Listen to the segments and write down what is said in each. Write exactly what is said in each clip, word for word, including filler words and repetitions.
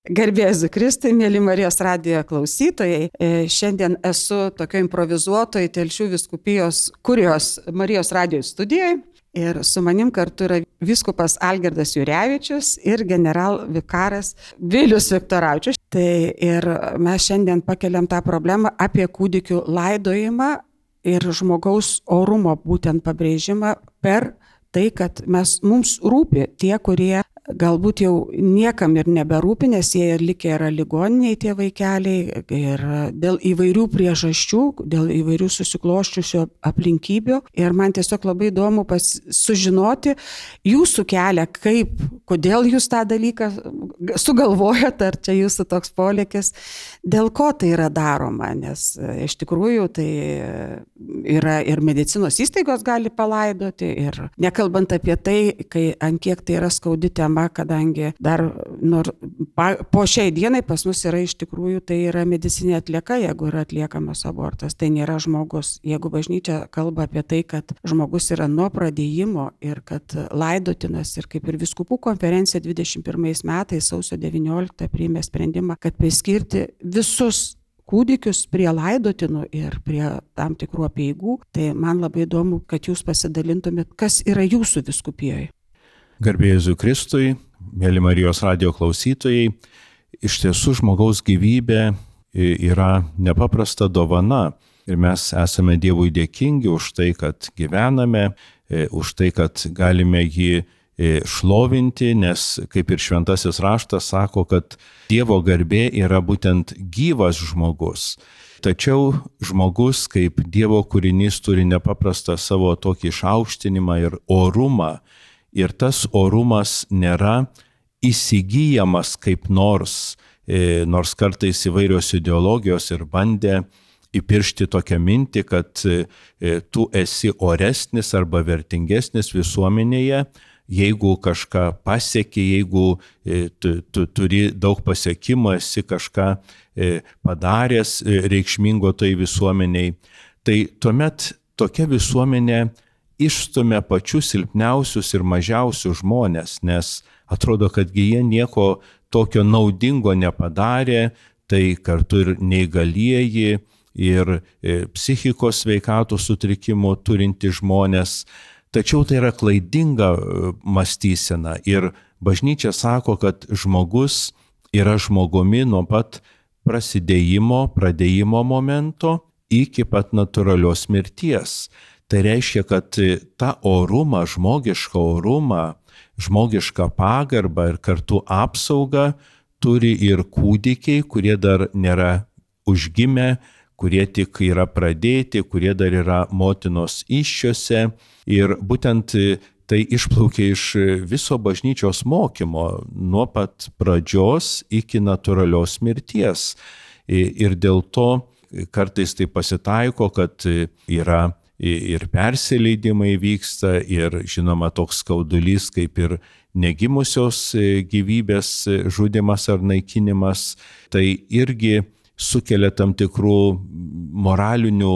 Garbė Jėzui Kristui, mėly Marijos radijo klausytojai. Šiandien esu tokio improvizuotoj Telšių vyskupijos Kurijos Marijos radijo studijoje ir su manim kartu yra vyskupas Algirdas Jurevičius ir generalvikaras Vilius Viktoravičius. Tai ir mes šiandien pakeliam tą problemą apie kūdikių laidojimą ir žmogaus orumo būtent pabrėžimą per tai, kad mes, mums rūpi tie, kurie galbūt jau niekam ir neberūpi, nes jie ir likę yra ligoniniai tie vaikeliai ir dėl įvairių priežasčių, dėl įvairių susikloščiusių aplinkybių. Ir man tiesiog labai įdomu pas, sužinoti jūsų kelią, kaip, kodėl jūs tą dalyką sugalvojat, ar čia jūsų toks polėkis, dėl ko tai yra daroma, nes iš tikrųjų tai yra ir medicinos įstaigos gali palaidoti ir nekalbant apie tai, kai ant kiek tai yra skaudi tema, kadangi dar nor, pa, po šiai dienai pas mus yra iš tikrųjų tai yra medicinė atlieka, jeigu yra atliekamas abortas, tai nėra žmogus. Jeigu bažnyčia kalba apie tai, kad žmogus yra nuo pradėjimo ir kad laidotinas ir kaip ir vyskupų konferencija dvidešimt pirmais metais sausio devynioliktą priėmė sprendimą, kad priskirti visus kūdikius prie laidotinų ir prie tam tikrų apeigų, tai man labai įdomu, kad jūs pasidalintumėt, kas yra jūsų vyskupijoje. Garbė Jėzui Kristui, mėly Marijos radijo klausytojai, iš tiesų žmogaus gyvybė yra nepaprasta dovana ir mes esame Dievui dėkingi už tai, kad gyvename, už tai, kad galime jį šlovinti, nes kaip ir šventasis raštas sako, kad Dievo garbė yra būtent gyvas žmogus. Tačiau žmogus kaip Dievo kūrinys turi nepaprastą savo tokį išaukštinimą ir orumą. Ir tas orumas nėra įsigyjamas kaip nors, e, nors kartais įvairios ideologijos ir bandė įpiršti tokią mintį, kad e, tu esi oresnis arba vertingesnis visuomenėje, jeigu kažką pasieki, jeigu e, tu, tu turi daug pasiekimų, esi kažką e, padaręs e, reikšmingo tai visuomeniai. Tai tuomet tokia visuomenė išstumia pačius silpniausius ir mažiausius žmonės, nes atrodo, kad jie nieko tokio naudingo nepadarė, tai kartu ir neįgalieji, ir psichikos sveikatos sutrikimų turinti žmonės. Tačiau tai yra klaidinga mąstysena ir bažnyčia sako, kad žmogus yra žmogumi nuo pat prasidėjimo, pradėjimo momento iki pat natūralios mirties. Tai reiškia, kad tą orumą, žmogišką orumą, žmogišką pagarbą ir kartu apsaugą turi ir kūdikiai, kurie dar nėra užgimę, kurie tik yra pradėti, kurie dar yra motinos įsčiose. Ir būtent tai išplaukia iš viso bažnyčios mokymo, nuo pat pradžios iki natūralios mirties. Ir dėl to kartais tai pasitaiko, kad yra ir persileidimai vyksta, ir žinoma toks skaudulys kaip ir negimusios gyvybės žudymas ar naikinimas, tai irgi sukelia tam tikrų moralinių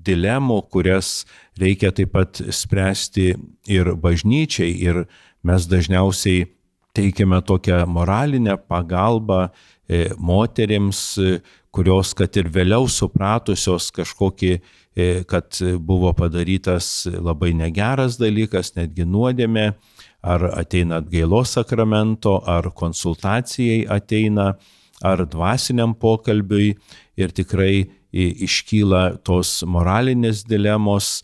dilemų, kurias reikia taip pat spręsti ir bažnyčiai, ir mes dažniausiai teikiame tokią moralinę pagalbą moterims, kurios, kad ir vėliau supratusios kažkokį, kad buvo padarytas labai negeras dalykas, netgi nuodėmė, ar ateina atgailos sakramento, ar konsultacijai ateina, ar dvasiniam pokalbiui, ir tikrai iškyla tos moralinės dilemos.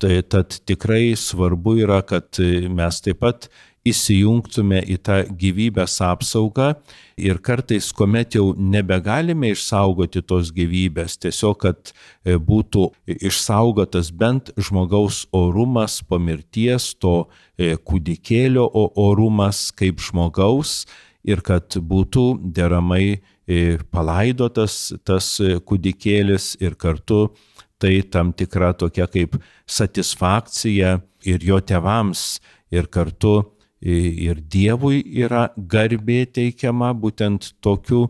Tai tad tikrai svarbu yra, kad mes taip pat įsijungtume į tą gyvybės apsaugą ir kartais, kuomet jau nebegalime išsaugoti tos gyvybės, tiesiog, kad būtų išsaugotas bent žmogaus orumas po mirties, to kūdikėlio orumas kaip žmogaus ir kad būtų deramai palaidotas tas kūdikėlis ir kartu tai tam tikra tokia kaip satisfakcija ir jo tėvams ir kartu ir Dievui yra garbė teikiama būtent tokiu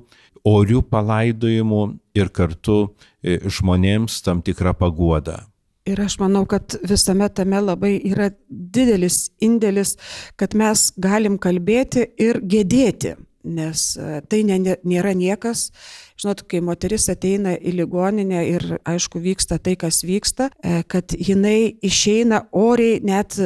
orių palaidojimu ir kartu žmonėms tam tikra paguoda. Ir aš manau, kad visame tame labai yra didelis indėlis, kad mes galim kalbėti ir gedėti. nes tai nėra niekas. Žinot, kai moteris ateina į ligoninę ir aišku vyksta tai, kas vyksta, kad jinai išeina oriai, net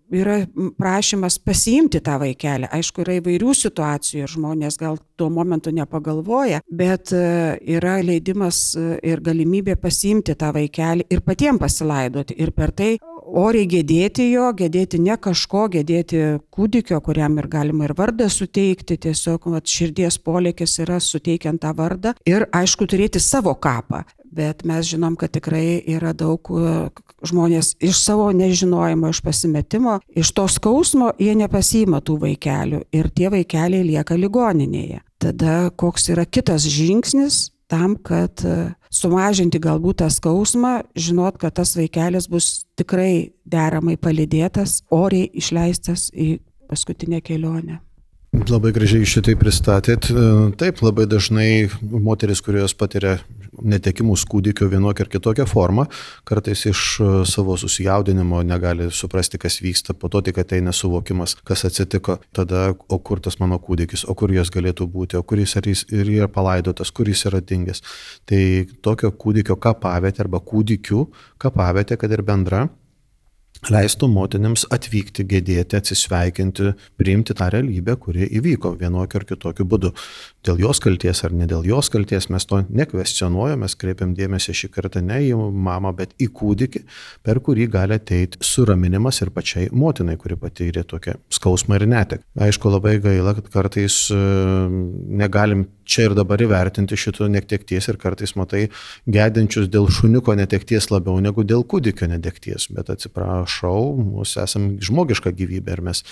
yra prašymas pasiimti tą vaikelį. Aišku, yra įvairių situacijų ir žmonės gal tuo momentu nepagalvoja, bet yra leidimas ir galimybė pasiimti tą vaikelį ir patiems pasilaidoti. Ir per tai oriai gedėti jo, gedėti ne kažko, gedėti kūdikio, kuriam ir galima ir vardą suteikti, tiesiog vat, širdies polėkis yra suteikiant tą vardą ir aišku turėti savo kapą. Bet mes žinom, kad tikrai yra daug žmonės iš savo nežinojimo, iš pasimetimo, iš to skausmo jie nepasiima tų vaikelių ir tie vaikeliai lieka ligoninėje. Tada koks yra kitas žingsnis tam, kad sumažinti galbūt tą skausmą, žinot, kad tas vaikelis bus tikrai deramai palydėtas, oriai išleistas į paskutinę kelionę. Labai gražiai šitai pristatėt. Taip, labai dažnai moteris, kurios patiria netekimus kūdikio vienokią ar kitokią formą, kartais iš savo susijaudinimo negali suprasti, kas vyksta, po to tik ateina suvokimas, kas atsitiko, tada, o kur tas mano kūdikis, o kur jos galėtų būti, o kur jis, ar jis ir yra palaidotas, kur jis yra dingęs. Tai tokio kūdikio kapavietė arba kūdikių kapavietė, kad ir bendra, leistų motinėms atvykti, gedėti, atsisveikinti, priimti tą realybę, kuri įvyko vienokiu ar kitokiu būdu. Dėl jos kalties ar ne dėl jos kalties mes to nekvestionuojame, mes kreipiam dėmesį šį kartą ne į mamą, bet į kūdikį, per kurį gali ateiti suraminimas ir pačiai motinai, kuri patyrė tokią skausmą ir netek. Aišku, labai gaila, kad kartais negalim čia ir dabar įvertinti šito netekties ir kartais matai gedinčius dėl šuniuko netekties labiau negu dėl kūdikio netekties, bet atsiprašau, mūsų esam žmogiška gyvybė ir mes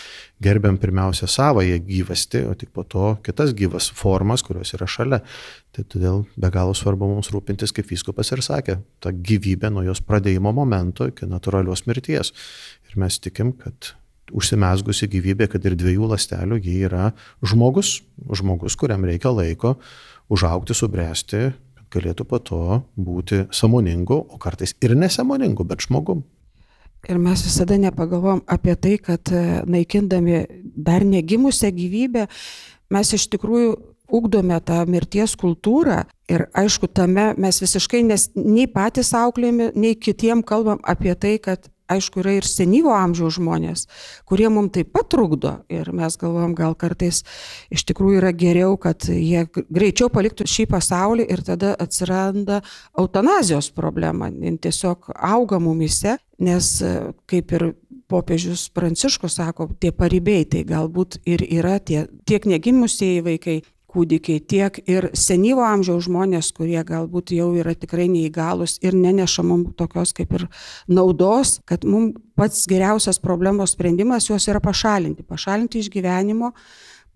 gerbiam pirmiausia savąją gyvastį, o tik po to kitas gyvas formas, kurios yra šalia. Tai todėl be galo svarbu mums rūpintis, kaip vyskupas ir sakė, tą gyvybę nuo jos pradėjimo momento iki natūralios mirties. Ir mes tikim, kad užsimezgusi gyvybė, kad ir dviejų ląstelių, ji yra žmogus, žmogus, kuriam reikia laiko užaugti, subręsti, kad galėtų po to būti sąmoningu, o kartais ir nesąmoningu, bet žmogum. Ir mes visada nepagalvom apie tai, kad naikindami dar negimusią gyvybę, mes iš tikrųjų ugdome tą mirties kultūrą ir aišku, tame mes visiškai nes, nei patys auklėjami, nei kitiem kalbam apie tai, kad aišku, yra ir senyvo amžiaus žmonės, kurie mums taip pat trukdo ir mes galvom, gal kartais iš tikrųjų yra geriau, kad jie greičiau paliktų šį pasaulį ir tada atsiranda eutanazijos problema, tiesiog auga mumyse, nes kaip ir popiežius Pranciškus sako, tie paribiai, tai galbūt ir yra tie, tiek negimusieji vaikai, kūdikiai, tiek ir senyvo amžiaus žmonės, kurie galbūt jau yra tikrai neįgalus ir neneša mums tokios kaip ir naudos, kad mums pats geriausias problemos sprendimas juos yra pašalinti. Pašalinti iš gyvenimo,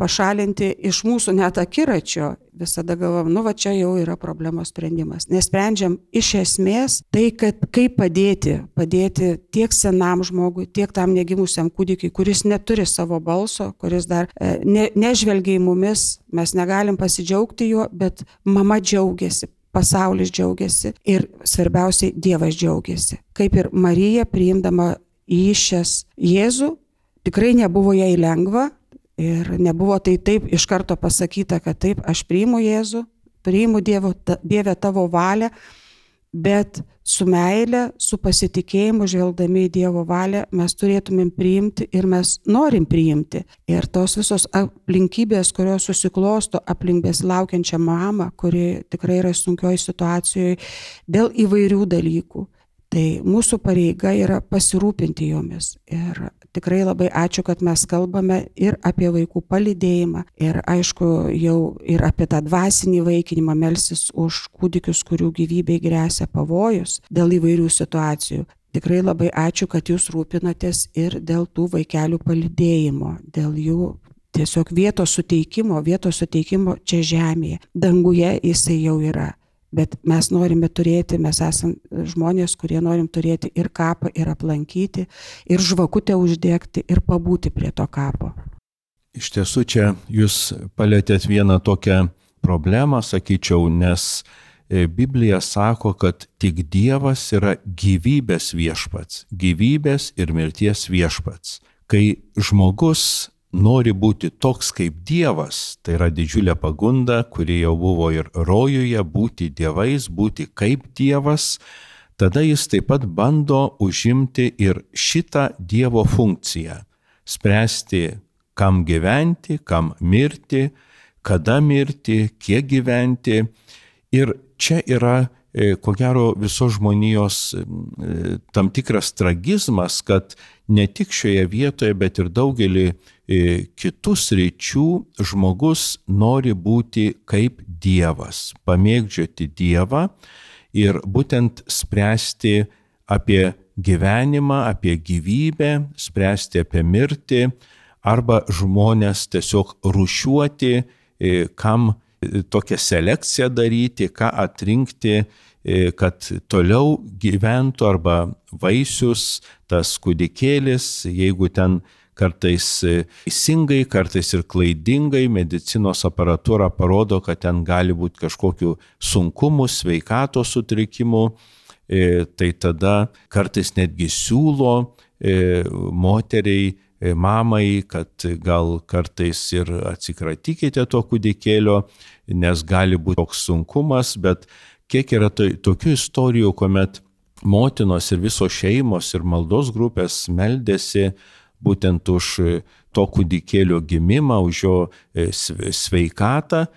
pašalinti iš mūsų net akiračio. Visada galvom, nu va čia jau yra problemos sprendimas. Nesprendžiam iš esmės tai, kad kaip padėti, padėti tiek senam žmogui, tiek tam negimusiam kūdikiai, kuris neturi savo balso, kuris dar ne, nežvelgia į mumis, mes negalim pasidžiaugti juo, bet mama džiaugiasi, pasaulis džiaugiasi ir svarbiausiai Dievas džiaugiasi. Kaip ir Marija priimdama įsčias Jėzų, tikrai nebuvo jai lengva, ir nebuvo tai taip iš karto pasakyta, kad taip, aš priimu Jėzų, priimu Dievo, Dieve tavo valią, bet su meile, su pasitikėjimu, žvelgdami į Dievo valią, mes turėtumėm priimti ir mes norim priimti. Ir tos visos aplinkybės, kurios susiklosto aplink besilaukiančią mamą, kuri tikrai yra sunkioj situacijoje dėl įvairių dalykų, tai mūsų pareiga yra pasirūpinti jomis. Ir tikrai labai ačiū, kad mes kalbame ir apie vaikų palydėjimą, ir aišku, jau ir apie tą dvasinį vaikinimą, melstis už kūdikius, kurių gyvybei gresia pavojus dėl įvairių situacijų. Tikrai labai ačiū, kad jūs rūpinatės ir dėl tų vaikelių palydėjimo, dėl jų tiesiog vietos suteikimo, vietos suteikimo čia žemėje. Danguje jisai jau yra. Bet mes norime turėti, mes esame žmonės, kurie norim turėti ir kapą, ir aplankyti, ir žvakutę uždegti, ir pabūti prie to kapo. Iš tiesų čia jūs palėtėt vieną tokią problemą, sakyčiau, nes Biblija sako, kad tik Dievas yra gyvybės viešpats, gyvybės ir mirties viešpats. Kai žmogus nori būti toks kaip Dievas, tai yra didžiulė pagunda, kuri jau buvo ir rojuje, būti dievais, būti kaip Dievas, tada jis taip pat bando užimti ir šitą Dievo funkciją, spręsti, kam gyventi, kam mirti, kada mirti, kiek gyventi. Ir čia yra, ko gero, visos žmonijos tam tikras tragizmas, kad ne tik šioje vietoje, bet ir daugelį kitų sričių žmogus nori būti kaip Dievas, pamėgdžioti Dievą ir būtent spręsti apie gyvenimą, apie gyvybę, spręsti apie mirtį, arba žmonės tiesiog rūšiuoti, kam tokią selekciją daryti, ką atrinkti, kad toliau gyventų arba vaisius, tas kūdikėlis, jeigu ten kartais teisingai, kartais ir klaidingai medicinos aparatūra parodo, kad ten gali būti kažkokių sunkumų, sveikatos sutrikimų, tai tada kartais netgi siūlo moteriai, mamai, kad gal kartais ir atsikratykite to kūdikėlio, nes gali būti toks sunkumas, bet kiek yra to, tokių istorijų, kuomet motinos ir visos šeimos ir maldos grupės meldėsi būtent už to kūdikėlio gimimą, už jo sveikatą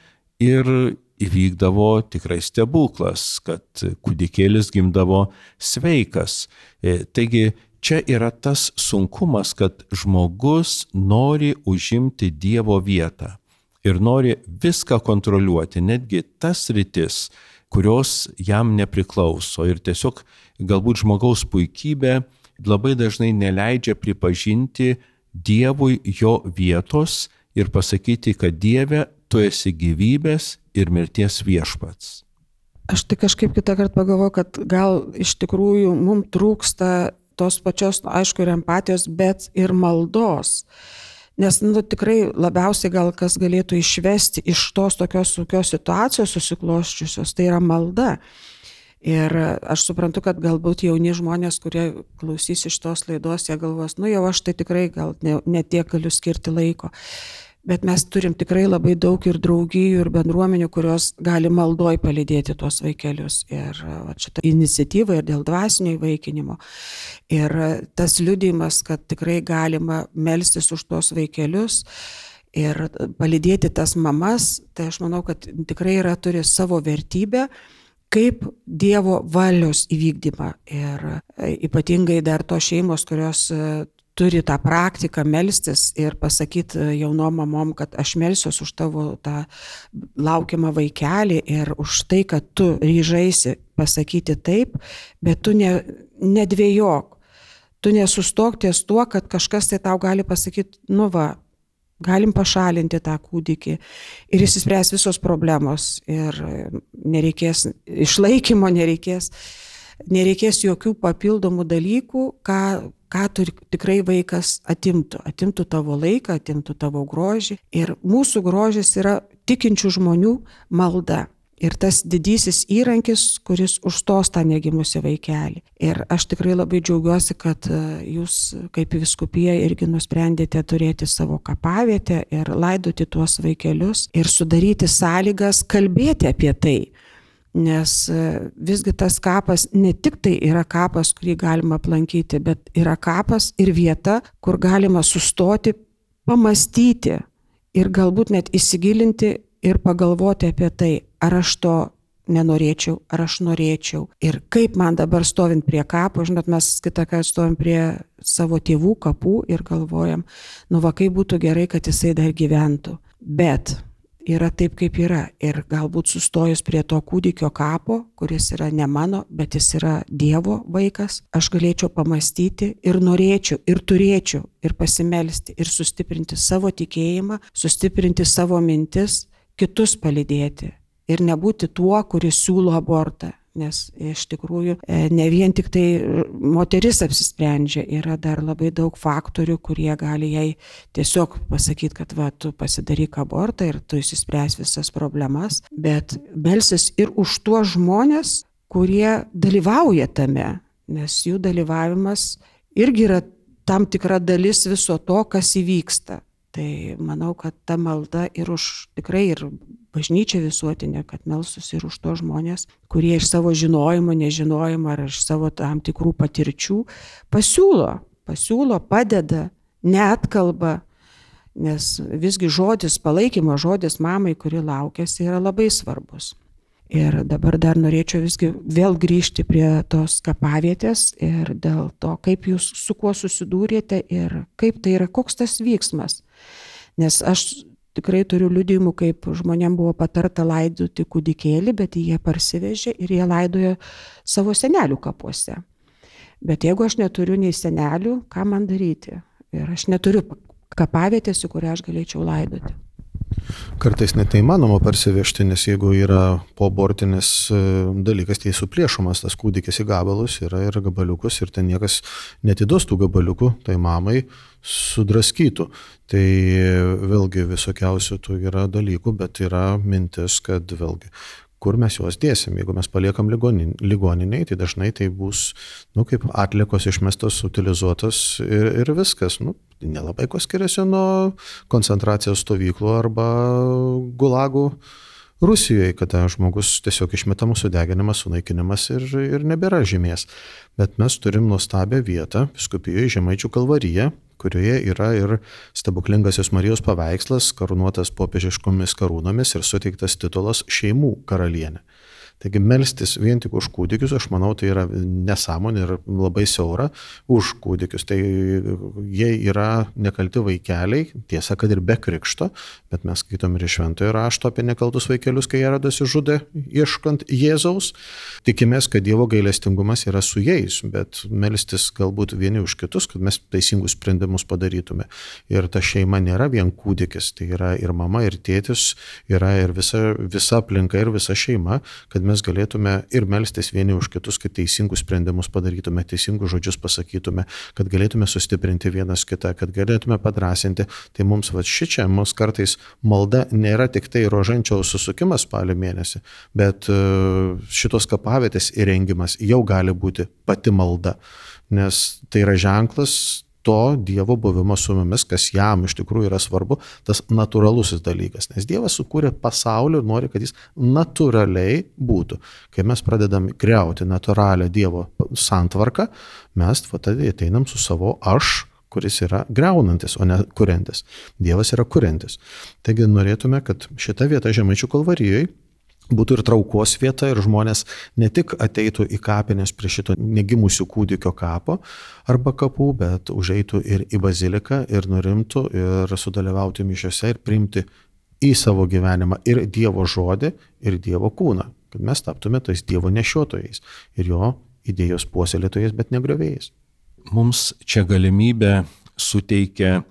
ir įvykdavo tikrai stebuklas, kad kūdikėlis gimdavo sveikas. Taigi, čia yra tas sunkumas, kad žmogus nori užimti Dievo vietą ir nori viską kontroliuoti, netgi tas sritis, kurios jam nepriklauso. Ir tiesiog galbūt žmogaus puikybė labai dažnai neleidžia pripažinti Dievui jo vietos ir pasakyti, kad Dieve, tu esi gyvybės ir mirties viešpats. Aš tai kažkaip kitą kartą pagalvoju, kad gal iš tikrųjų mums trūksta tos pačios, aišku, ir empatijos, bet ir maldos. Nes nu, tikrai labiausiai gal kas galėtų išvesti iš tos tokios sunkios situacijos susikloščiusios, tai yra malda. Ir aš suprantu, kad galbūt jauni žmonės, kurie klausys iš tos laidos, jie galvos, nu jau aš tai tikrai gal ne, ne tiek galiu skirti laiko. Bet mes turim tikrai labai daug ir draugijų, ir bendruomenių, kurios gali maldoj palydėti tuos vaikelius. Ir šitą iniciatyvą ir dėl dvasinio įvaikinimo. Ir tas liudijimas, kad tikrai galima melstis už tuos vaikelius ir palydėti tas mamas, tai aš manau, kad tikrai yra, turi savo vertybę kaip Dievo valios įvykdymą. Ir ypatingai dar tos šeimos, kurios turi tą praktiką melstis ir pasakyti jaunom mamom, kad aš melsiuos už tavo tą laukiamą vaikelį ir už tai, kad tu ryžaisi pasakyti taip, bet tu ne, nedvėjok. Tu nesustok ties tuo, kad kažkas tai tau gali pasakyti, nu va, galim pašalinti tą kūdikį ir išsispręs visos problemos ir nereikės išlaikymo, nereikės, nereikės jokių papildomų dalykų, ką ką tu tikrai vaikas atimtų. Atimtų tavo laiką, atimtų tavo grožį. Ir mūsų grožis yra tikinčių žmonių malda. Ir tas didysis įrankis, kuris užstos tą negimusį vaikelį. Ir aš tikrai labai džiaugiuosi, kad jūs kaip vyskupija irgi nusprendėte turėti savo kapavietę ir laidoti tuos vaikelius ir sudaryti sąlygas kalbėti apie tai. Nes visgi tas kapas ne tik tai yra kapas, kurį galima aplankyti, bet yra kapas ir vieta, kur galima sustoti, pamastyti ir galbūt net įsigilinti ir pagalvoti apie tai, ar aš to nenorėčiau, ar aš norėčiau. Ir kaip man dabar stovint prie kapo, žinot, mes kitą kartą stovim prie savo tėvų kapų ir galvojam, nu va, kaip būtų gerai, kad jisai dar gyventų. Bet yra taip, kaip yra. Ir galbūt sustojus prie to kūdikio kapo, kuris yra ne mano, bet jis yra Dievo vaikas, aš galėčiau pamastyti ir norėčiau, ir turėčiau, ir pasimelsti, ir sustiprinti savo tikėjimą, sustiprinti savo mintis, kitus palydėti. Ir nebūti tuo, kuris siūlo abortą. Nes iš tikrųjų ne vien tik tai moteris apsisprendžia, yra dar labai daug faktorių, kurie gali jai tiesiog pasakyti, kad va, tu pasidaryk abortą ir tu išsispręs visas problemas, bet melsis ir už tuos žmonės, kurie dalyvauja tame, nes jų dalyvavimas irgi yra tam tikra dalis viso to, kas įvyksta. Tai manau, kad ta malda ir už tikrai ir bažnyčia visuotinė, kad melstųsi ir už to žmonės, kurie iš savo žinojimo, nežinojimo ar iš savo tam tikrų patirčių pasiūlo, pasiūlo, padeda, neatkalba, nes visgi žodis, palaikymo žodis mamai, kuri laukiasi, yra labai svarbus. Ir dabar dar norėčiau visgi vėl grįžti prie tos kapavietės ir dėl to, kaip jūs su kuo susidūrėte ir kaip tai yra, koks tas vyksmas. Nes aš tikrai turiu liudijimų, kaip žmonėm buvo patarta laidoti kūdikėlį, bet jie parsivežė ir jie laidojo savo senelių kapuose. Bet jeigu aš neturiu nei senelių, ką man daryti? Ir aš neturiu kapavietės, į kurią aš galėčiau laidoti. Kartais net neįmanoma parsivežti, nes jeigu yra poabortinis dalykas, tai suplėšomas tas kūdikis į gabalus, yra ir gabaliukus ir ten niekas netiduos tų gabaliukų, tai mamai sudraskytų. Tai vėlgi visokiausių tų yra dalykų, bet yra mintis, kad vėlgi kur mes juos dėsim. Jeigu mes paliekam ligoniniai, tai dažnai tai bus, nu, kaip atliekos išmestos, utilizuotos ir, ir viskas. Nu, nelabai ko skiriasi nuo koncentracijos stovyklų arba gulagų Rusijoje, kada žmogus tiesiog išmetamas, sudeginimas, sunaikinimas ir, ir nebėra žymės. Bet mes turim nuostabią vietą, vyskupijoje Žemaičių Kalvarija, kurioje yra ir stebuklingasis Marijos paveikslas, karūnuotas popiežiškomis karūnomis ir suteiktas titulas šeimų karalienė. Taigi melstis vien tik už kūdikius, aš manau, tai yra nesąmonė ir labai siaura už kūdikius. Tai jie yra nekalti vaikeliai, tiesa, kad ir be krikšto, bet mes skaitom ir iš šventojo rašto apie nekaltus vaikelius, kai Erodas žudė ieškant Jėzaus. Tikimės, kad Dievo gailestingumas yra su jais, bet melstis galbūt vieni už kitus, kad mes teisingus sprendimus padarytume. Ir ta šeima nėra vien kūdikis, tai yra ir mama, ir tėtis, yra ir visa, visa aplinka, ir visa šeima, kad mes galėtume ir melstis vieni už kitus, kad teisingus sprendimus padarytume, teisingus žodžius pasakytume, kad galėtume sustiprinti vienas kitą, kad galėtume padrasinti. Tai mums va šičia, mums kartais malda nėra tik tai rožančiaus susukimas spalio mėnesį, bet šitos kapavietės įrengimas jau gali būti pati malda, nes tai yra ženklas to Dievo buvimo su mumis, kas jam iš tikrųjų yra svarbu, tas natūralusis dalykas. Nes Dievas sukūrė pasaulį ir nori, kad jis natūraliai būtų. Kai mes pradedam griauti natūralią Dievo santvarką, mes tada ateinam su savo aš, kuris yra griaunantis, o ne kuriantis. Dievas yra kuriantis. Taigi norėtume, kad šita vieta Žemaičių Kalvarijoje būtų ir traukos vieta ir žmonės ne tik ateitų į kapines prie šito negimusių kūdikio kapo arba kapų, bet užeitų ir į baziliką ir nurimtų ir sudalyvauti mišiose ir priimti į savo gyvenimą ir Dievo žodį, ir Dievo kūną, kad mes taptume tais Dievo nešiotojais ir jo idėjos puoselėtojais, bet negriovėjais. Mums čia galimybę suteikia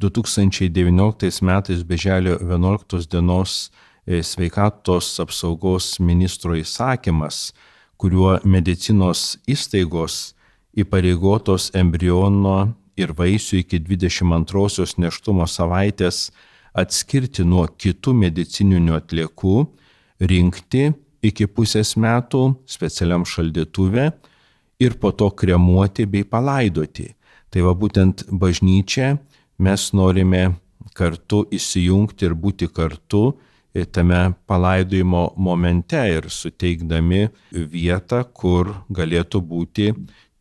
du tūkstančiai devynioliktais metais birželio vienuoliktos dienos sveikatos apsaugos ministro įsakymas, kuriuo medicinos įstaigos įpareigotos embriono ir vaisių iki dvidešimt antrosios nėštumo savaitės atskirti nuo kitų medicininių atliekų, rinkti iki pusės metų specialiam šaldytuve ir po to kremuoti bei palaidoti. Tai va būtent bažnyčia mes norime kartu įsijungti ir būti kartu tame palaidojimo momente ir suteikdami vietą, kur galėtų būti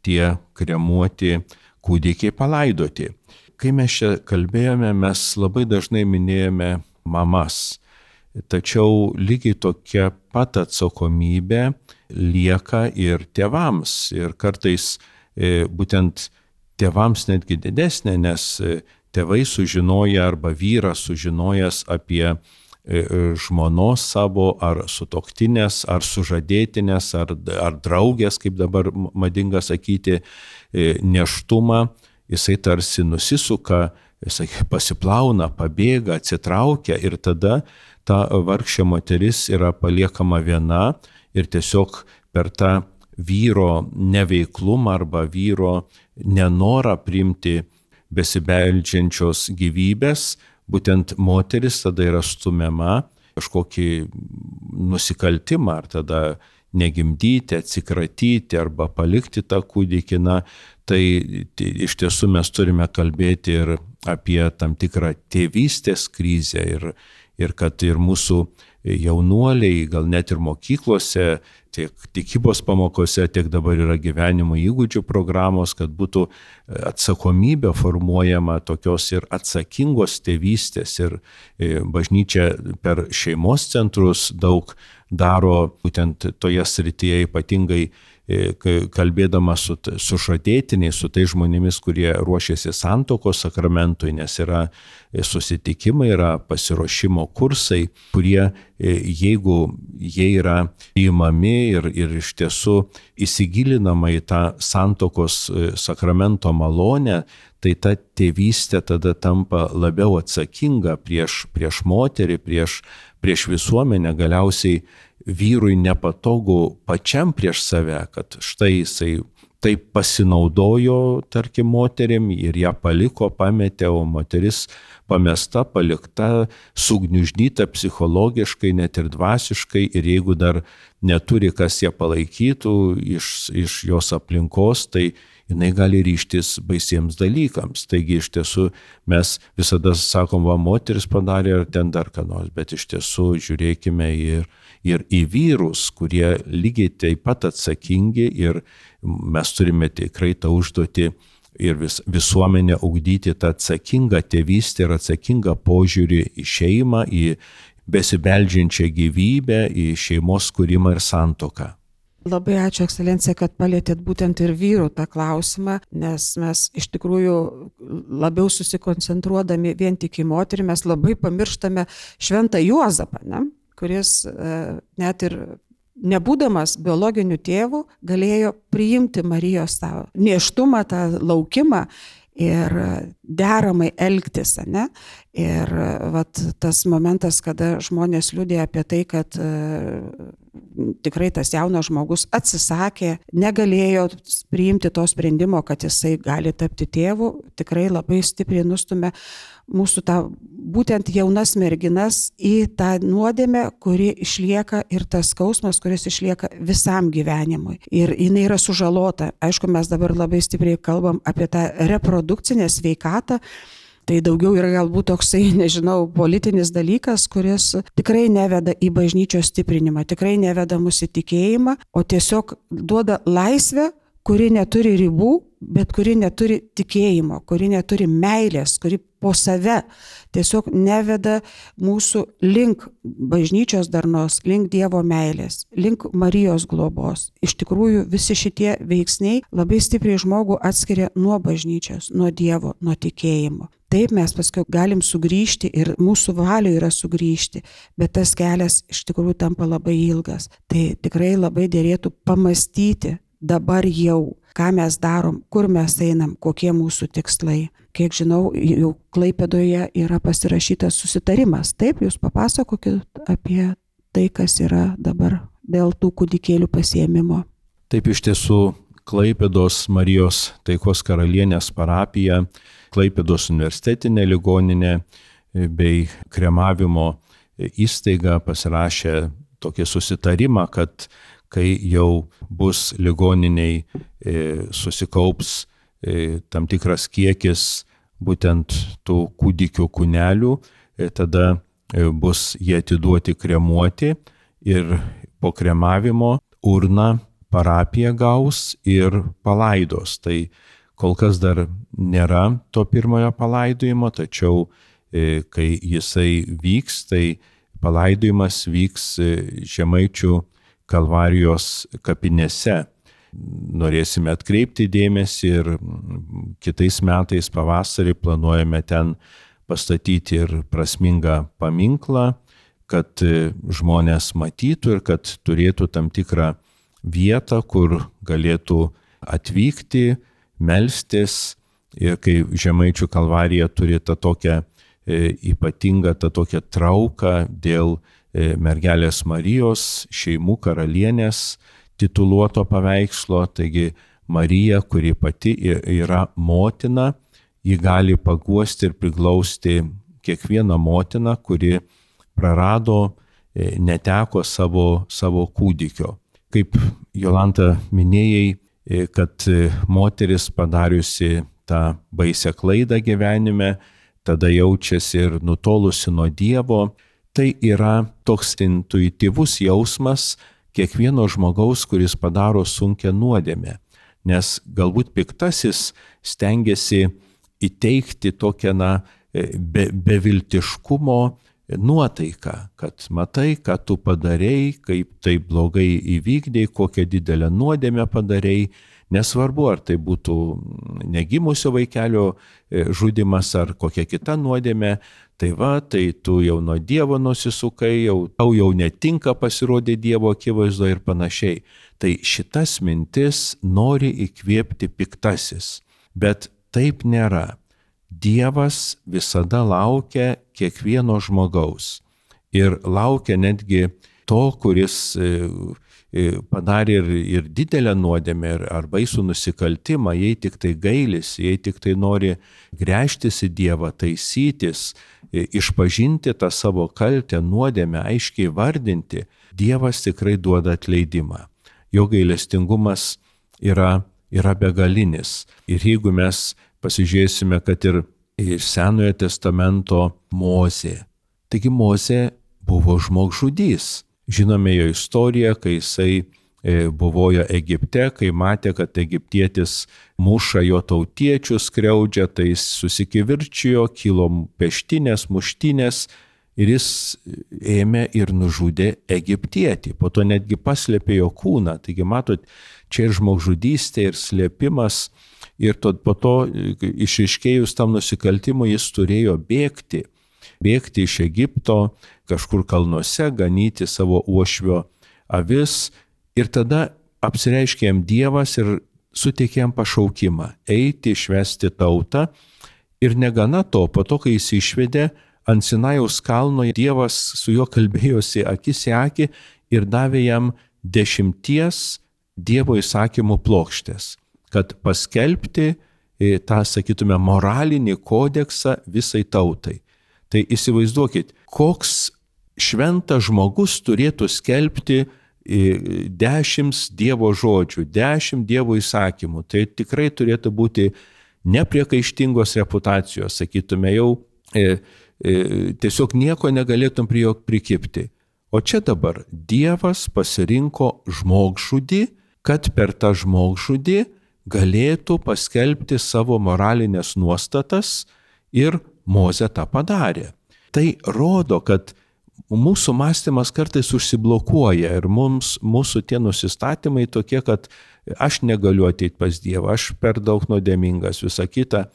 tie kremuoti kūdikiai palaidoti. Kai mes čia kalbėjome, mes labai dažnai minėjome mamas, tačiau lygiai tokia pat atsakomybė lieka ir tėvams. Ir kartais būtent tėvams netgi didesnė, nes tėvai sužinoja arba vyras sužinojęs apie žmonos savo, ar sutuoktinės, ar sužadėtinės, ar, ar draugės, kaip dabar madinga sakyti, nėštumą, jisai tarsi nusisuka, jisai pasiplauna, pabėga, atsitraukia ir tada ta vargšė moteris yra paliekama viena ir tiesiog per tą vyro neveiklumą arba vyro nenorą priimti besibeldžiančios gyvybės, būtent moteris tada yra stumiama kažkokį nusikaltimą, ar tada negimdyti, atsikratyti arba palikti tą kūdikį. Tai, tai iš tiesų mes turime kalbėti ir apie tam tikrą tėvystės krizę ir, ir kad ir mūsų jaunuoliai, gal net ir mokyklose, tiek tikybos pamokose, tiek dabar yra gyvenimo įgūdžių programos, kad būtų atsakomybė formuojama tokios ir atsakingos tėvystės. Ir bažnyčia per šeimos centrus daug daro būtent toje srityje, ypatingai kalbėdama su, su žadėtiniais, su tais žmonėmis, kurie ruošiasi santuokos sakramentui, nes yra susitikimai, yra pasiruošimo kursai, kurie, jeigu jie yra įmami ir, ir iš tiesų įsigilinama į tą santuokos sakramento malonę, tai ta tėvystė tada tampa labiau atsakinga prieš, prieš moterį, prieš, prieš visuomenę, galiausiai vyrui nepatogu pačiam prieš save, kad štai jisai taip pasinaudojo, tarkim, moterim ir ją paliko, pametė, o moteris pamesta, palikta, sugniuždyta psichologiškai, net ir dvasiškai, ir jeigu dar neturi, kas ją palaikytų iš, iš jos aplinkos, tai jinai gali ryžtis baisiems dalykams. Taigi iš tiesų mes visada sakom, va, moteris padarė ar ten dar ką nors, bet iš tiesų žiūrėkime ir, ir į vyrus, kurie lygiai taip pat atsakingi, ir mes turime tikrai tą užduotį ir vis, visuomenę ugdyti tą atsakingą tėvystę ir atsakingą požiūrį į šeimą, į besibeldžiančią gyvybę, į šeimos kūrimą ir santuoką. Labai ačiū, ekscelencija, kad palėtėt būtent ir vyrų tą klausimą, nes mes iš tikrųjų labiau susikoncentruodami vien tik į moterį, mes labai pamirštame šventą Juozapą, ne? Kuris net ir nebūdamas biologiniu tėvu galėjo priimti Marijos tą nėštumą, tą laukimą ir deramai elgtis, ne? Ir vat, tas momentas, kada žmonės liudija apie tai, kad e, tikrai tas jaunas žmogus atsisakė, negalėjo priimti to sprendimo, kad jisai gali tapti tėvu, tikrai labai stipriai nustumė mūsų tą būtent jaunas merginas į tą nuodėmę, kuri išlieka, ir tas skausmas, kuris išlieka visam gyvenimui. Ir jinai yra sužalota. Aišku, mes dabar labai stipriai kalbam apie tą reprodukcinę sveikatą. Tai daugiau yra galbūt toksai, nežinau, politinis dalykas, kuris tikrai neveda į bažnyčios stiprinimą, tikrai neveda mūsų tikėjimą, o tiesiog duoda laisvę, kuri neturi ribų, bet kuri neturi tikėjimo, kuri neturi meilės, kuri po save tiesiog neveda mūsų link bažnyčios darnos, link Dievo meilės, link Marijos globos. Iš tikrųjų, visi šitie veiksniai labai stipriai žmogų atskiria nuo bažnyčios, nuo Dievo, nuo tikėjimo. Taip mes paskui galim sugrįžti ir mūsų valioje yra sugrįžti, bet tas kelias iš tikrųjų tampa labai ilgas. Tai tikrai labai dėrėtų pamastyti dabar jau, ką mes darom, kur mes einam, kokie mūsų tikslai. Kiek žinau, jau Klaipėdoje yra pasirašytas susitarimas. Taip, jūs papasakokit apie tai, kas yra dabar dėl tų kūdikėlių pasiėmimo. Taip, iš tiesų, Klaipėdos Marijos Taikos Karalienės parapija, Klaipėdos universitetinė ligoninė bei kremavimo įstaiga pasirašė tokį susitarimą, kad kai jau bus ligoniniai susikaups tam tikras kiekis būtent tų kūdikių kūnelių, tada bus jie atiduoti kremuoti ir po kremavimo urną parapija gaus ir palaidos. Tai kol kas dar nėra to pirmojo palaidojimo, tačiau kai jisai vyks, tai palaidojimas vyks Žemaičių Kalvarijos kapinėse. Norėsime atkreipti dėmesį ir kitais metais pavasarį planuojame ten pastatyti ir prasmingą paminklą, kad žmonės matytų ir kad turėtų tam tikrą vietą, kur galėtų atvykti, melstis. Ir kai Žemaičių Kalvarija turi tą tokią e, ypatingą, tą tokią trauką dėl e, mergelės Marijos, šeimų karalienės tituluoto paveikslo, taigi Marija, kuri pati yra motina, ji gali paguosti ir priglausti kiekvieną motiną, kuri prarado, e, neteko savo, savo kūdikio. Kaip Jolanta minėjai, kad moteris padariusi tą baisią klaidą gyvenime, tada jaučiasi ir nutolusi nuo Dievo. Tai yra toks intuityvus jausmas kiekvieno žmogaus, kuris padaro sunkią nuodėmę. Nes galbūt piktasis stengiasi įteikti tokią na, be, beviltiškumo nuotaiką, kad matai, ką tu padarei, kaip tai blogai įvykdei, kokią didelę nuodėmę padarei. Nesvarbu, ar tai būtų negimusio vaikelio žudimas ar kokia kita nuodėmė, tai va, tai tu jau nuo Dievo nusisukai, jau, tau jau netinka pasirodė Dievo akivaizdoje ir panašiai. Tai šitas mintis nori įkvėpti piktasis, bet taip nėra. Dievas visada laukia kiekvieno žmogaus ir laukia netgi to, kuris padarė ir, ir didelę nuodėmę, ar baisų nusikaltimą, jei tik tai gailisi, jei tik tai nori gręžtis į Dievą, taisytis, išpažinti tą savo kaltę, nuodėmę, aiškiai vardinti, Dievas tikrai duoda atleidimą. Jo gailestingumas yra, yra begalinis. Ir jeigu mes pasižiūrėsime, kad ir iš Senojo testamento Mozė. Taigi Mozė buvo žmogžudys. Žinome jo istoriją, kai jisai buvojo Egipte, kai matė, kad egiptietis muša jo tautiečius, skriaudžia, tai jis susikivirčijo, kilo peštinės, muštinės ir jis ėmė ir nužudė egiptietį. Po to netgi paslėpė jo kūną. Taigi matot, čia ir žmogžudystė, ir slėpimas. Ir to, po to išaiškėjus tam nusikaltimui jis turėjo bėgti. Bėgti iš Egipto, kažkur kalnuose, ganyti savo uošvio avis. Ir tada apsireiškė jam Dievas ir suteikė jam pašaukimą eiti, išvesti tautą. Ir negana to, po to, kai jis išvedė, ant Sinajaus kalno Dievas su juo kalbėjosi akis į akį ir davė jam dešimties Dievo įsakymų plokštės, kad paskelbti tą, sakytume, moralinį kodeksą visai tautai. Tai įsivaizduokit, koks šventas žmogus turėtų skelbti dešimt Dievo žodžių, dešimt Dievo įsakymų. Tai tikrai turėtų būti nepriekaištingos reputacijos, sakytume, jau e, e, tiesiog nieko negalėtum prie jo prikipti. O čia dabar Dievas pasirinko žmogžudį, kad per tą žmogžudį galėtų paskelbti savo moralinės nuostatas ir Mozė tą padarė. Tai rodo, kad mūsų mąstymas kartais užsiblokuoja ir mums, mūsų tie nusistatymai tokie, kad aš negaliu ateiti pas Dievą, aš per daug nuodėmingas, visa kita.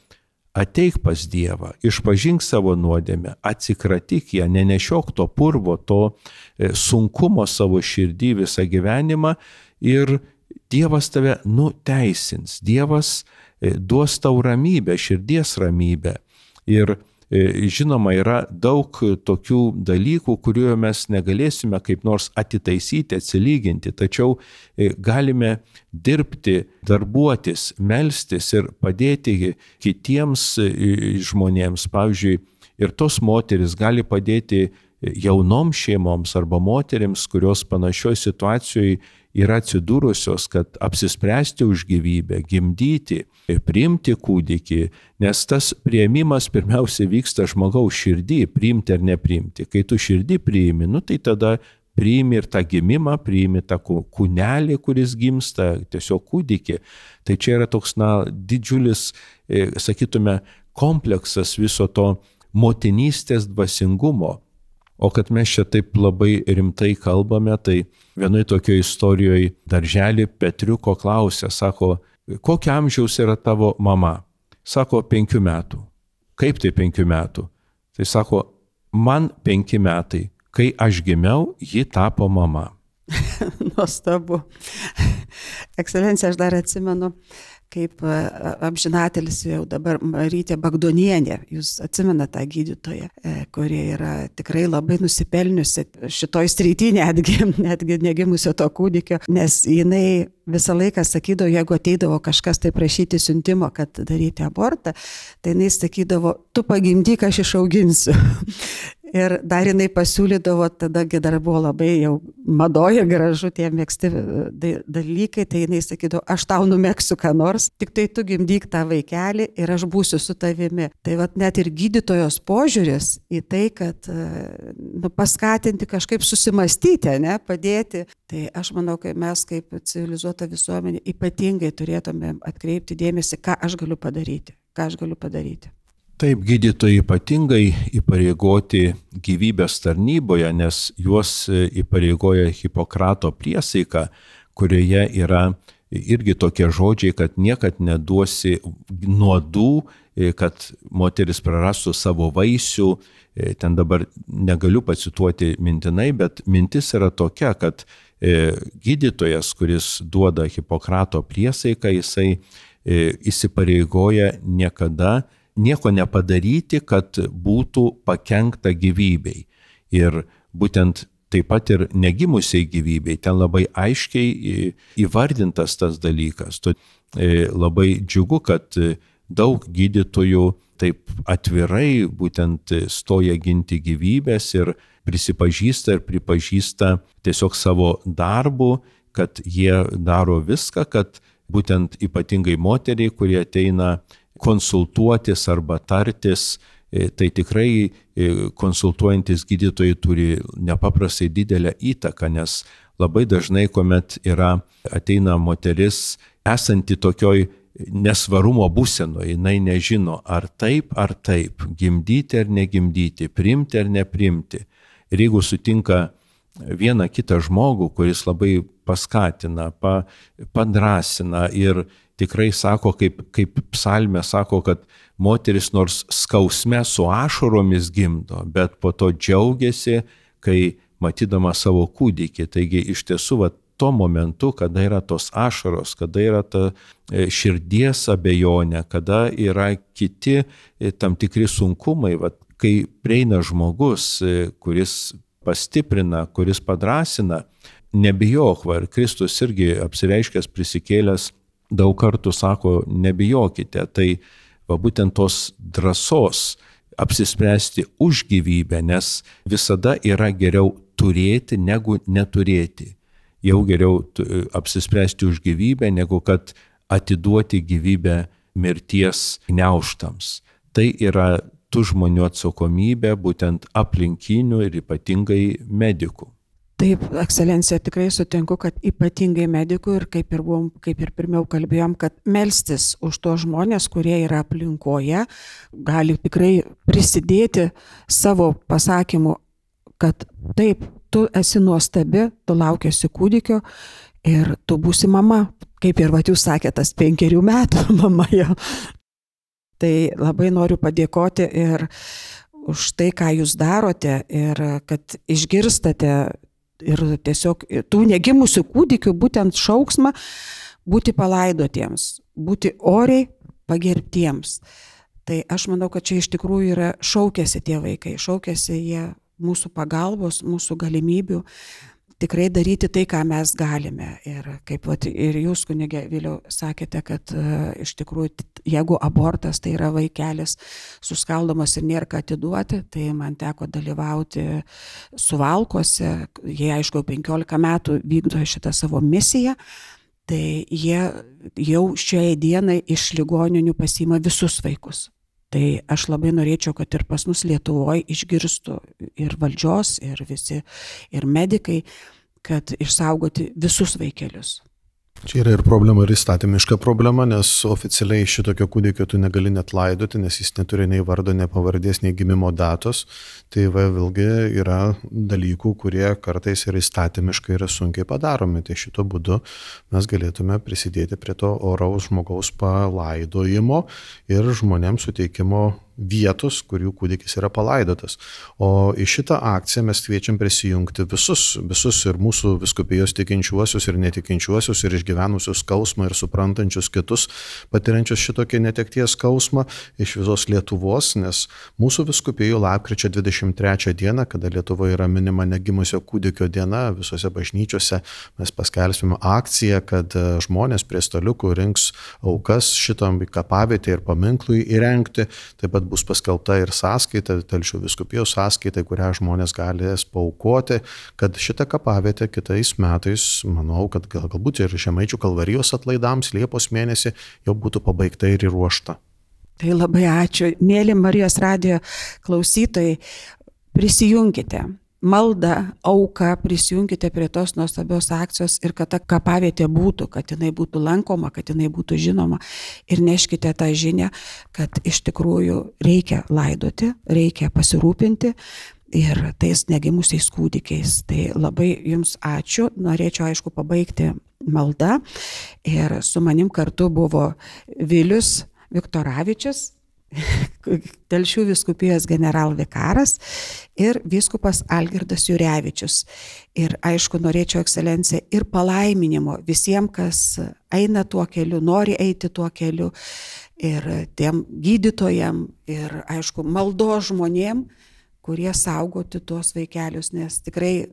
Ateik pas Dievą, išpažink savo nuodėmę, atsikratyk ją, nenešiok to purvo, to sunkumo savo širdį visą gyvenimą ir Dievas tave nuteisins, Dievas duos tau ramybę, širdies ramybę. Ir žinoma, yra daug tokių dalykų, kuriuo mes negalėsime kaip nors atitaisyti, atsilyginti, tačiau galime dirbti, darbuotis, melstis ir padėti kitiems žmonėms. Pavyzdžiui, ir tos moteris gali padėti jaunoms šeimoms arba moterims, kurios panašioj situacijoje yra atsidūrusios, kad apsispręsti už gyvybę, gimdyti, priimti kūdikį, nes tas priėmimas pirmiausia vyksta žmogaus širdį, priimti ar nepriimti. Kai tu širdį priimi, nu, tai tada priimi ir tą gimimą, priimi tą kūnelį, kuris gimsta, tiesiog kūdikį. Tai čia yra toks, na, didžiulis, sakytume, kompleksas viso to motinystės dvasingumo. O kad mes čia taip labai rimtai kalbame, tai vienoje tokioje istorijoje darželį Petriuko klausė, sako, kokio amžiaus yra tavo mama? Sako, penkių metų. Kaip tai penkių metų? Tai sako, man penki metai. Kai aš gimiau, ji tapo mama. Nuostabu. Ekscelencija, aš dar atsimenu, kaip amžinatelis jau dabar Marytė Bagdonienė, jūs atsimenate tą gydytoją, kuri yra tikrai labai nusipelniusi šitoj srity, netgi, netgi negimusio to kūdikio, nes jinai visą laiką sakydavo, jeigu ateidavo kažkas tai prašyti siuntimo, kad daryti abortą, tai jinai sakydavo, tu pagimdyk, aš išauginsiu. Ir dar jinai pasiūlydavo, tadagi dar buvo labai jau madoja, gražu tie mėgsti dalykai, tai jinai sakydavo, aš tau numegsiu ką nors, tik tai tu gimdyk tą vaikelį ir aš būsiu su tavimi. Tai vat net ir gydytojos požiūris į tai, kad nu, paskatinti kažkaip susimastyti, ne, padėti. Tai aš manau, kad mes kaip civilizuota visuomenė ypatingai turėtume atkreipti dėmesį, ką aš galiu padaryti, ką aš galiu padaryti. Taip, gydytojai ypatingai įpareigoti gyvybės tarnyboje, nes juos įpareigoja Hipokrato priesaika, kurioje yra irgi tokie žodžiai, kad niekad neduosi nuodų, kad moteris prarastų savo vaisių. Ten dabar negaliu pacituoti mintinai, bet mintis yra tokia, kad gydytojas, kuris duoda Hipokrato priesaiką, jisai įsipareigoja niekada nieko nepadaryti, kad būtų pakenkta gyvybei. Ir būtent taip pat ir negimusiai gyvybei, ten labai aiškiai įvardintas tas dalykas. Labai džiugu, kad daug gydytojų taip atvirai būtent stoja ginti gyvybės ir prisipažįsta ir pripažįsta tiesiog savo darbu, kad jie daro viską, kad būtent ypatingai moteriai, kurie ateina konsultuotis arba tartis, tai tikrai konsultuojantis gydytojai turi nepaprastai didelę įtaką, nes labai dažnai, kuomet yra, ateina moteris esanti tokioj nesvarumo būsenoje, jinai nežino, ar taip, ar taip, gimdyti ar negimdyti, priimti ar neprimti. Ir jeigu sutinka vieną kitą žmogų, kuris labai paskatina, pa, padrasina ir tikrai sako, kaip, kaip psalmė sako, kad moteris nors skausme su ašaromis gimdo, bet po to džiaugiasi, kai matydama savo kūdikį. Taigi iš tiesų, va, tuo momentu, kada yra tos ašaros, kada yra ta širdies abejonė, kada yra kiti tam tikri sunkumai, va, kai prieina žmogus, kuris pastiprina, kuris padrasina, nebijok, va, ir Kristus irgi apsireiškęs prisikėlęs daug kartų sako, nebijokite, tai va, būtent tos drąsos apsispręsti už gyvybę, nes visada yra geriau turėti negu neturėti. Jau geriau apsispręsti už gyvybę, negu kad atiduoti gyvybę mirties gniaužtams. Tai yra tų žmonių atsakomybė, būtent aplinkinių ir ypatingai medikų. Taip, ekscelencija, tikrai sutinku, kad ypatingai medikų ir kaip ir, buvom, kaip ir pirmiau kalbėjom, kad melstis už tos žmonės, kurie yra aplinkoje, gali tikrai prisidėti savo pasakymu, kad taip, tu esi nuostabi, tu laukiasi kūdikio ir tu būsi mama, kaip ir vat jūs sakėte, tas penkerių metų mama jau. Tai labai noriu padėkoti ir už tai, ką jūs darote ir kad išgirstate ir tiesiog tų negimusių kūdikių būtent šauksmą būti palaidotiems, būti oriai pagerbtiems. Tai aš manau, kad čia iš tikrųjų yra šaukiasi tie vaikai, šaukiasi jie mūsų pagalbos, mūsų galimybių tikrai daryti tai, ką mes galime. Ir kaip vat, ir jūs, kunige Viliau, sakėte, kad uh, iš tikrųjų, jeigu abortas tai yra vaikelis suskaldomas ir nėra ką atiduoti, tai man teko dalyvauti Suvalkuose, jie aišku penkiolika metų vykdo šitą savo misiją, tai jie jau šiai dienai iš ligoninių pasiima visus vaikus. Tai aš labai norėčiau, kad ir pas mus Lietuvoje išgirstų ir valdžios, ir visi, ir medikai, kad išsaugoti visus vaikelius. Čia yra ir problema, ir įstatymiška problema, nes oficialiai šitokio kūdikio tu negali net laidoti, nes jis neturi nei vardo, nei pavardės, nei gimimo datos. Tai va, vėlgi yra dalykų, kurie kartais ir įstatymiškai yra sunkiai padaromi. Tai šito būdu mes galėtume prisidėti prie to oraus žmogaus palaidojimo ir žmonėms suteikimo vietos, kur jų kūdikis yra palaidotas. O į šitą akciją mes kviečiam prisijungti visus, visus ir mūsų vyskupijos tikinčiuosius ir netikinčiuosius ir išgyvenusius skausmą ir suprantančius kitus, patiriančius šitokį netekties skausmą iš visos Lietuvos, nes mūsų vyskupijų lapkričio dvidešimt trečią dieną, kada Lietuvoje yra minima negimusio kūdikio diena, visose bažnyčiose mes paskelbsime akciją, kad žmonės prie staliukų rinks aukas šitam kapavietei ir paminklui įrengti. Taip pat bus paskelbta ir sąskaita, Telšių vyskupijos sąskaita, kurią žmonės galės paaukoti, kad šitą kapavietę kitais metais, manau, kad gal, galbūt ir Žemaičių Kalvarijos atlaidams Liepos mėnesį jau būtų pabaigta ir įruošta. Tai labai ačiū. Mėly Marijos radijo klausytojai, prisijunkite. Malda, auka, prisijunkite prie tos nuostabios akcijos ir kad ta kapavietė būtų, kad jinai būtų lankoma, kad jinai būtų žinoma. Ir neškite tą žinią, kad iš tikrųjų reikia laidoti, reikia pasirūpinti ir tais negimusiais kūdikiais. Tai labai jums ačiū. Norėčiau, aišku, pabaigti maldą. Ir su manim kartu buvo Vilius Viktoravičius, Telšių vyskupijos generalvikaras ir vyskupas Algirdas Jurevičius. Ir aišku, norėčiau, ekscelencija, ir palaiminimo visiems, kas eina tuo keliu, nori eiti tuo keliu, ir tiem gydytojam, ir aišku, maldos žmonėm, kurie saugoti tuos vaikelius, nes tikrai,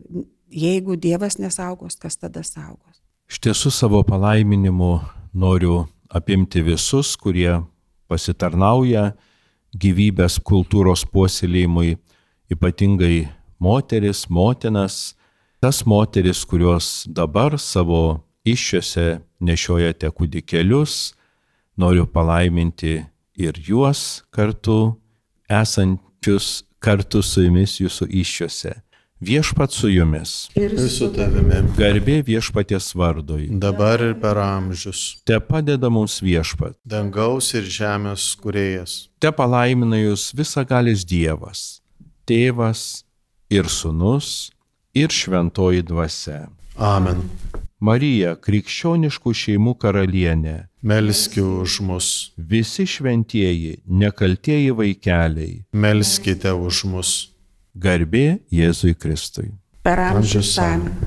jeigu Dievas nesaugos, kas tada saugos? Iš tiesų savo palaiminimu noriu apimti visus, kurie pasitarnauja gyvybės kultūros puoselėjimui, ypatingai moteris, motinas, tas moteris, kurios dabar savo įsčiose nešiojate kūdikėlius, noriu palaiminti ir juos kartu, esančius kartu su jumis jūsų įsčiose. Viešpat su jumis. Ir su tavimi. Garbė viešpaties vardui. Dabar ir per amžius. Te padeda mums viešpat. Dangaus ir žemės kūrėjas. Te palaimina jūs visagalis Dievas, Tėvas ir Sūnus ir Šventoji Dvasia. Amen. Marija, krikščioniškų šeimų karalienė, melski už mus. Visi šventieji, nekaltieji vaikeliai, melskite už mus. Garbė Jėzui Kristui. Per amžius. Amen.